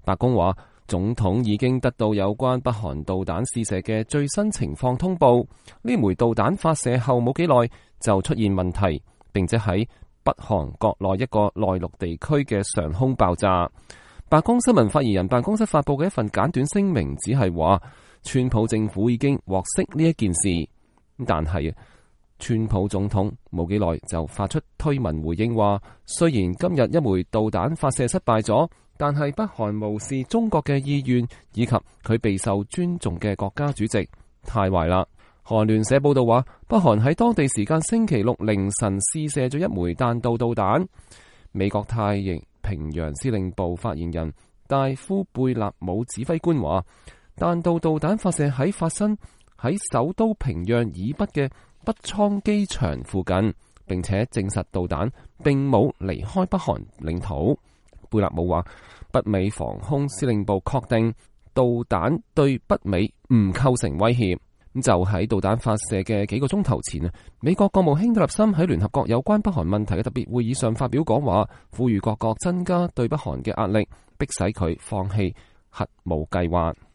白宮話，總統已經得到有關北韓導彈試射嘅最新情況通報，呢枚導彈發射後冇幾耐就出現問題，並且喺北韓國內一個內陸地區嘅上空爆炸。白宮新聞發言人辦公室發佈嘅一份簡短聲明只係話，川普政府已經獲悉呢一件事，但係川普總統冇幾耐就發出推文回應話，雖然今日一枚導彈發射失敗咗，但係北韓無視中國嘅意願以及佢備受尊重嘅國家主席，太壞啦。韓聯社報道話，北韓喺當地時間星期六凌晨試射咗一枚彈道導彈。美國太平洋司令部發言人戴夫貝納姆指揮官話，彈道導彈發射喺發生喺首都平壤以北嘅北倉機場附近，並且證實導彈並冇離開北韓領土。貝納姆話，北美防空司令部確定導彈對北美唔構成威脅。咁就喺導彈發射嘅幾個鐘頭前，美國國務卿蒂勒森喺聯合國有關北韓問題嘅特別會議上發表講話，呼籲各國增加對北韓嘅壓力，迫使佢放棄核武計劃。